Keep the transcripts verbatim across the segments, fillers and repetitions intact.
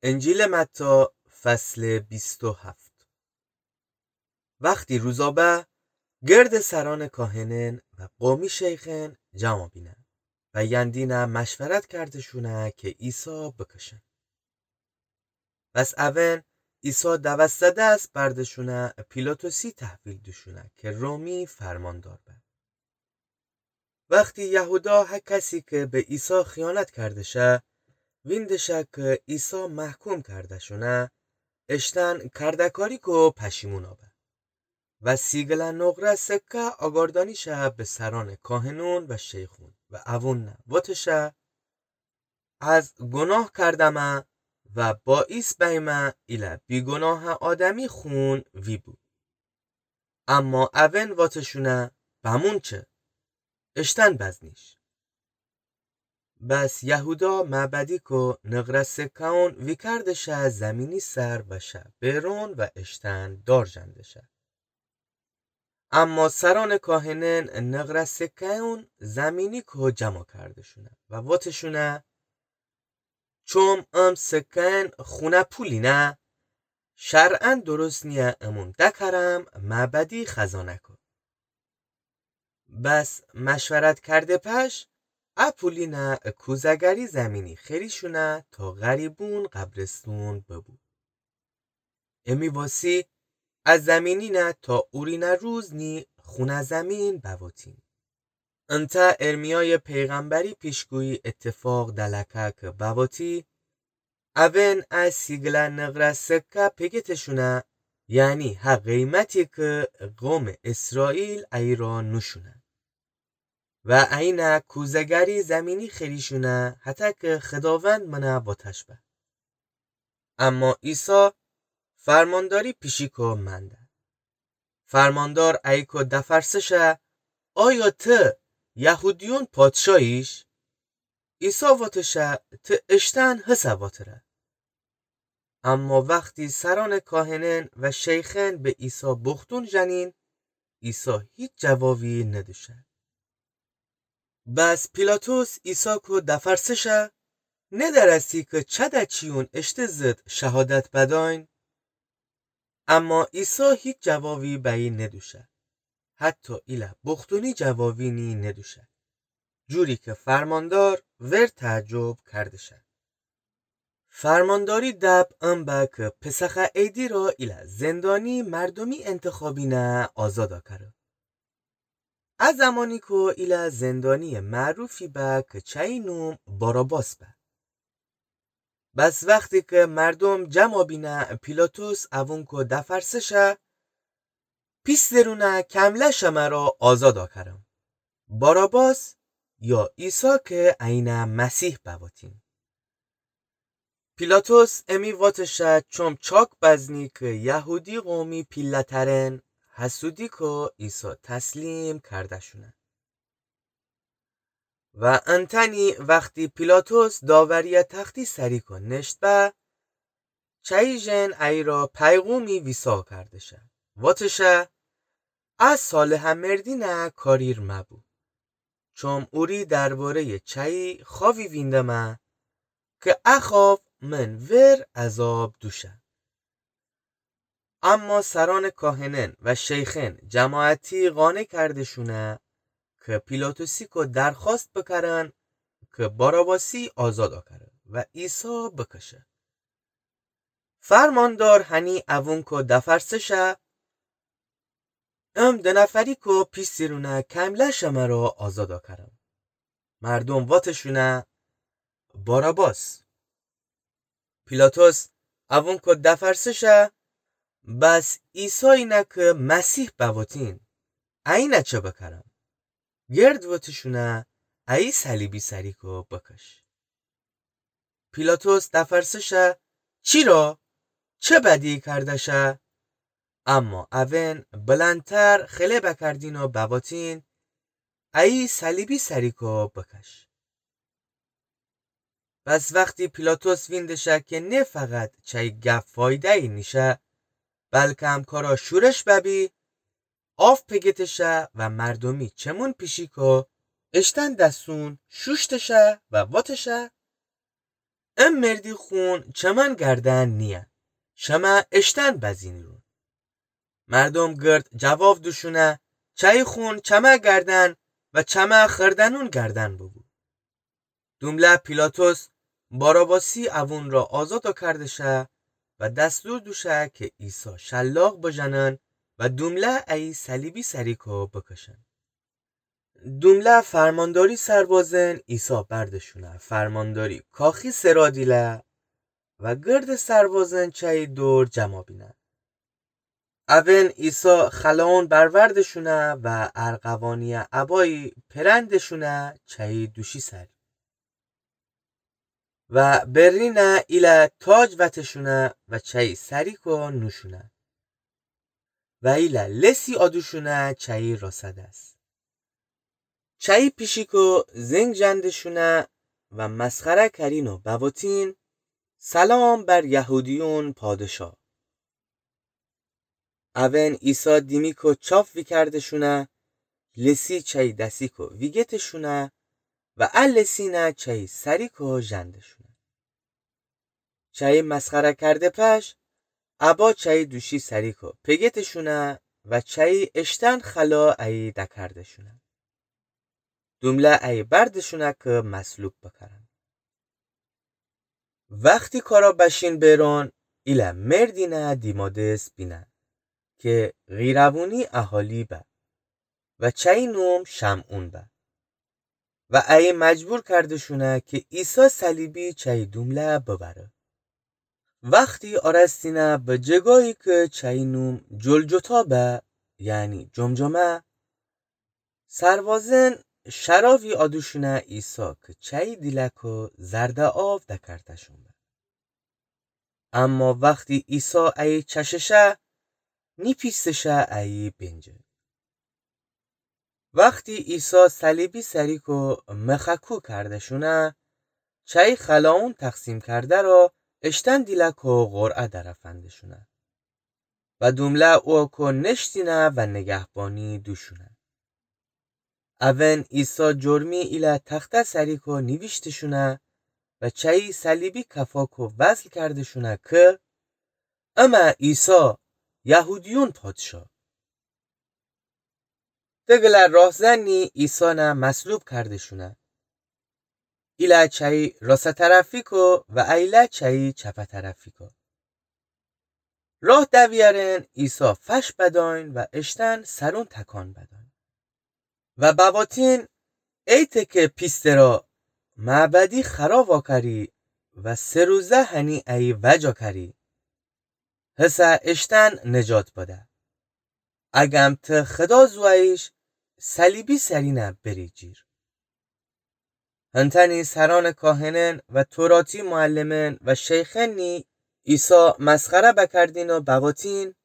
انجیلٚ متی، فصلٚ بیست و هفت. وختی روزا به، گردٚ سرأنٚ کاهنأن و قومی شیخأن جمع بینه و یندینه مشورت کرده‌شونه کی عیسی بکشن. پس اون عیسی دوسته دس برده‌شونه پیلاطسی تحویل دوشونه کی رومی فرماندار به. وختی یهودا هکسی کی به عیسی خیانت کرده‌شه، وینده‌شه کی عیسی محکوم کرده‌شونه، اشتأن کرده‌کاری کو پشیمون به. و سی گله نقره سکه آگاردأنی‌شه به سرأنٚ کاهنأن و شیخأن و اوون وتشه: از گناه کردمه و باعیث بیمه ایله بیگناهٚ آدمی خون وی بو. اما اون وتشونه: بمون چه؟ اشتأن بزنیش. بس یهودا معبدی کو نقره سکه‌أن ویکرده‌شه زیمینی سر و شه بئرون و اشتأن دار ژنده‌شه. اما سرأنٚ کاهنأن نقره سکه‌أن زیمینی کو جمع کرده‌شونه و وتشونه: چوم ام سکه‌أن خونه پولینه، شرعاً درست نییه امون دکرم معبدی خزانه کو. بس مشورت کرده پش، ا پولینه کوزه‌گری زیمینی خریشونه تا غریبون قبرستون ببو. امی واسی ا زیمینینه تا اورینه روز نی خونه زیمین بوتین. انتأ ارمیایٚ پیغمبری پیشگویی اتفاق دلکه کی بوتی: اون ا سی گله نقره سکه پیگتشونه، یعنی ها قیمتی کی قومٚ اسرائیل ایرا نوشونه. و اینه کوزه‌گری زیمینی خریشونه هتأ کی خداوند منه وتش به. اما عیسی فرمانداری پیشی کو منده. فرماندار ایی کو دفرسه شه: آیا ته یهودیون پادشاهیش؟ عیسی وتشه: ته اشتأن هسه وتره. اما وختی سرأنٚ کاهنأن و شیخأن به عیسی بوختون ژنین، عیسی هیچ جوابی ندوشه. بس پیلاطس عیسی کو دفرسه شه: ندرستی کی چده چیون اشته ضد شهادت بدأین؟ اما عیسی هیچ جوابی بأیی ندوشه. حتی ایله بوختونی جوابی نی ندوشه. جوری کی فرماندار ور تعجب کرده‌شه. فرمانداری دب ان به کی پسخٚ عیدی را ایله زندانی مردومی انتخابینه آزادا کره. ا زمانی کو ایله زندانییٚ معروفی به کی چأیی نوم باراباس به. بس وختی کی مردوم جمع بینه پیلاطس اوون کو دفرسه شه: پیس درونه کمله شمه را آزادا کرم، باراباس یا عیسی کی اینه مسیح بوتین؟ پیلاطس امی وتشه چوم چاک بزنی کی یهودی قومی پیله‌ترأن حسودی کو عیسی تسلیم کرده‌شونه. و انتأنی وختی پیلاطس داورییٚ تختی سری کو نشت به، چأیی ژن ایرا پیغومی ویسا کرده‌شه. وتشه: ا صالحٚ مردینه کاریر مبو. چوم اوری درباره‌یٚ چأیی خوأبی ویندمه کی ا خوأب من ور عذاب دوشه. اما سرأنٚ کاهنأن و شیخأن جماعتی قانع کرده‌شونه کی پیلاطسی کو درخوأست بکرن کی باراباسی آزادا کره و عیسی بکشه. فرماندار هنی اوون کو دفرسه شه: ام دو نفری کو پیس درونه کمله شمه را آزادا کرم؟ مردوم وتشونه: باراباس. پیلاطس اوون کو دفرسه شه: بس عیسایینه کی مسیح بوتین، اینه چه بکرم؟ گرد وتشونه: ایی صلیبی سری کو بکش. پیلاطس دفرسه شه: چی را؟ چه بدی کرده‌شه؟ اما اوئن بلندتر خله بکردین و بواتین: ایی صلیبی سری کو بکش. پس وختی پیلاطس وینده‌شه کی نه فقط چای گپ فایده‌یی نیشه، بلکم کارا شورش ببی، آف پگتشه و مردومی چمون پیشی کو اشتن دستون شوشتشه و واتشه: ا مردی خون چمن گردن نیه، شمه اشتن بزینیرون. مردوم گرد جواب دوشونه: چایی خون چمه گردن و چمه خردنون گردن ببو. دومله پیلاطس باراباسی اوون را آزاد کردشه و دستور دوشه که عیسی شلاق بژنن و دومله ای صلیبی سریکو بکشن. دومله فرمانداری سربازن عیسی بردشونه، فرمانداری کاخی سرا دیله و گرد سربازن چایی دور جما بینه. اوین عیسی خلاون بروردشونه و ارغوانی ابایی پرندشونه چایی دوشی سر و برینه ایله تاج وتشونه و چایی سریکو نوشونه و ایله لسی آدوشونه چایی راسه دس. چایی پیشیکو زنگ جندشونه و مسخره کرین و بواتین: سلام بر یهودیون پادشا. اوین عیسی دیمیکو چاف ویکردشونه، لسی چایی دسیکو ویگتشونه و ا لسینه چایی سریکو جندشونه. چایی مسخره کرده پش، ابا چایی دوشی سریکو پگتشونه و چایی اشتن خلا ای دکردشونه. دومله ای بردشونه که مصلوب بکرن. وختی کارا بشین بیرون، ایله مردینه دیمادس بینه که قیروونی اهالی به و چایی نوم شمعون به و ای مجبور کردشونه که عیسی صلیبی چایی دومله ببره. وختی آرستینه به جگایی که چایی نوم جلجتا به، یعنی جمجمه، سربازن شراوی آدوشونه عیسی که چایی دیلکو زرد آو دکرتشون به. اما وختی عیسی ای چششه، نیپیستشه ای بینجه. وختی عیسی صلیبی سریکو مخکو کردشونه، چایی خلاون تقسیم کرده را اشتن دیلکو قرعه درفندشونه و دومله اوکو نشتینه و نگهبانی دوشونه. اوین عیسی جرمی ایله تخته سریکو نیویشتشونه و چایی صلیبی کفاکو وصل کردشونه که: امه عیسی، یهودیون پادشا. دگله راهزنی عیسانه مصلوب کردشونه. ایله چایی راسه طرفیکو و ایله چایی چپه طرفیکو. راه دویرن عیسی فش بداین و اشتن سرون تکان بداین و بواتین: ای تکه پیسته را، معبدی خرا واکری و سه روزه هنی ای وجا کری. هسه اشتن نجات بده. اگم ته خدا زوییش، صلیبی سرینه بری جیر. هنتنی سران کاهنن و توراتی معلمن و شیخنی عیسی مسخره بکردین و بواتین: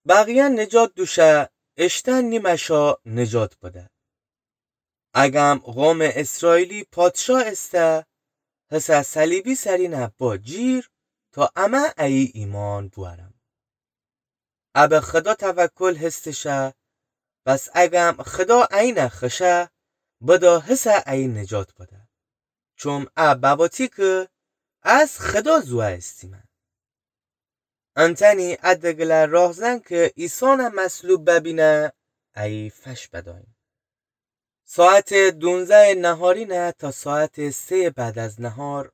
بقیه نجات دوشه، اشتن نیمشا نجات بده. اگم قوم اسرائیلی پادشا استه، هسه صلیبی سرینه با جیر تا امه ای ایمان بوارم. ابه خدا توکل هستشه، بس اگم خدا اینه خشه، بدا هسه ای نجات بده. چوم ا بواتی که از خدا زوه استیمه. انتنی ا دگله راهزن که عیسانه مصلوب ببینه، ای فش بداین. ساعت دونزده نهارینه تا ساعت سه بعد از نهار،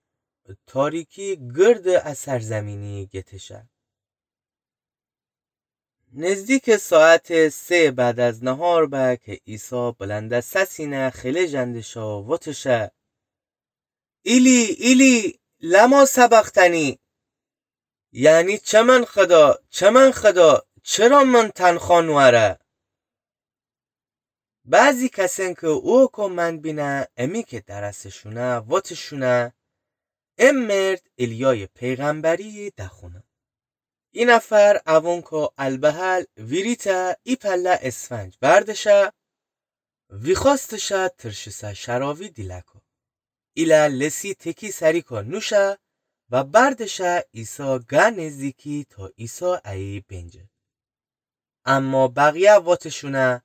تاریکی گرد ا سرزمینی گتشه. نزدیک ساعت سه بعد از نهار به که عیسی بلند سسینه خیلی جندشه و وتشه: ایلی، ایلی، لما سبقتنی؟ یعنی چه من خدا، چه من خدا، چرا من تنخا نواره؟ بعضی کسن که اوکو من بینه، امی که درسشونه، وتشونه: ام مرد ایلیای پیغمبری دخونه. ای نفر اوونکو البحل ویریته ای پله اسفنج بردشه، ویخواستشه ترشیسه شراوی دیلکو. ایله لسی تکی سریکو نوشه و بردشه عیسی گه نزدیکی تا عیسی ای بینجه. اما بقیه وتشونه: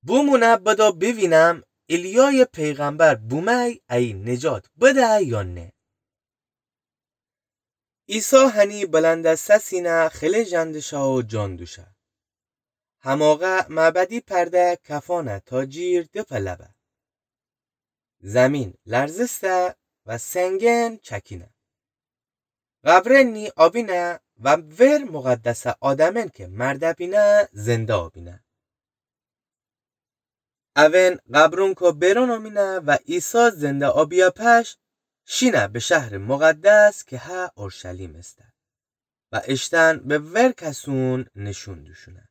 بومونه بدا بیوینم ایلیای پیغمبر بومه ای نجات بده یا نه. عیسی هنی بلندٚ سسینه خله ژندشه و جان دوشه. هماغه معبدی پرده کفانه تا جیر دپه لبه. زمین لرزسته و سنگن چکینه. قبرنی آبینه و ور مقدسه آدمن که مرده بینه زنده آبینه. اون قبرونکو بیرون آمینه و عیسی زنده آبیه پش شینه به شهرٚ مقدس که هه اورشلیم استه و اشتن به ور کسون نشون دوشونه.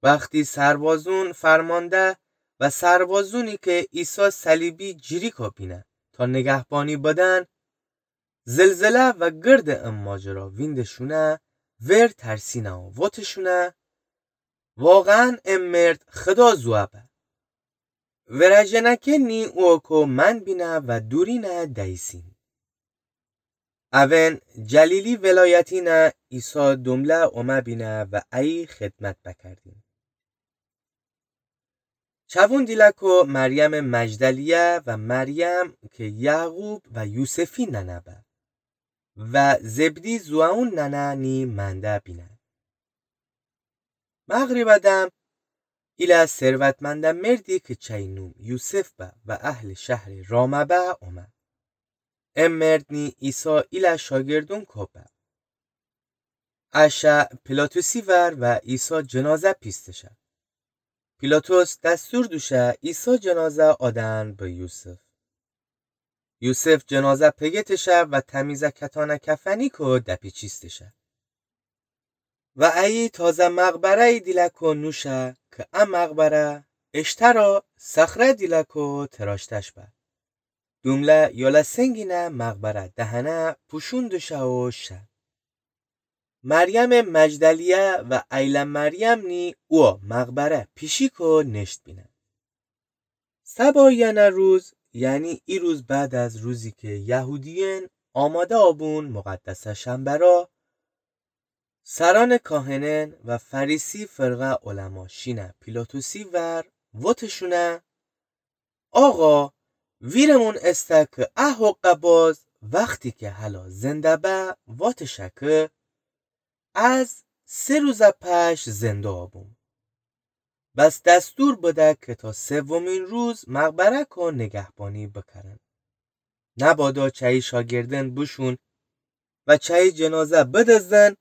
وختی سربازون فرمانده و سربازونی که عیسی صلیبی جیریکو بینه تا نگهبانی بدن، زلزله و گردٚ ا ماجرا ویندشونه، ور ترسینه و وتشونه: واقعاً ا مرد خدا زوئه به. ورجه نکنی اوکو من بینه و دورینه دیسین. اون جلیلی ولایتینه عیسی دومله اومه بینه و ایی خدمت بکردین. چوون دیلکو مریمٚ مجدلیه و مریم که یعقوب و یوسفی ننه به و زبدی زوئون ننه نی منده بینه. مغربه دم ایله ثروتمنده مردی که چی نوم یوسف به و اهلٚ شهرٚ رامه به اومه. ا مرد نی عیسی ایله شاگردونکو به. ا شه پیلاطسی ور و عیسی جنازه پیستشه. پیلاطس دستور دوشه عیسی جنازه آدن به یوسف. یوسف جنازه پگتشه و تمیزه کتانه کفنیکو دپیچیستشه. و ایی تازه مقبره‌یی دیلکو نوشه که ا مقبره اشترا صخره دیلکو تراشتش به. دومله یولا سنگینه مقبره دهنه پوشون دوشه و شه. مریمٚ مجدلیه و ایله مریم نی او مقبره پیشیکو نشت بینه. سبا یعنی روز، یعنی ای روز بعد از روزی که یهودیین آماده آبون مقدسه شنبه را، سرانٚ کاهنین و فریسی فرقه علما شینه پیلاطسی ور وتشونه: آقا، ویرمون استه که ا حقه باز وختی که هلا زنده به وتشه که از سه روزه پش زنده آبوم. بس دستور بده که تا سومین روز مقبره‌کو نگهبانی بکرن. نبادا چی شاگردن بوشون و چی جنازه بدزدن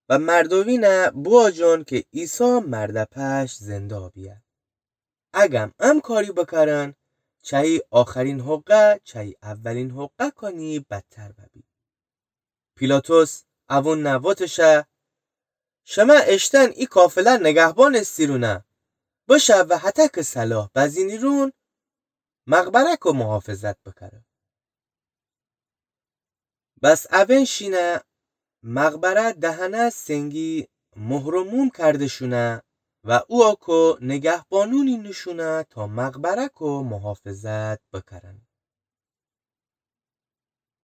و مردومینه بواجون که عیسی مرده پش زنده آبیه. اگم ام کاری بکرن، چی آخرین حقه چی اولین حقه کانی بدتر ببی. پیلاطس اوون نه وتشه: شمه اشتن ای قافله نگهبان استیرونه، بشه و هتک صلاح بزینیرون مقبره‌کو محافظت بکره. بس اون شینه مقبره دهنه سنگی مهر و موم کردشونه و اوکو نگهبانونی نوشونه تا مقبره‌کو محافظت بکرن.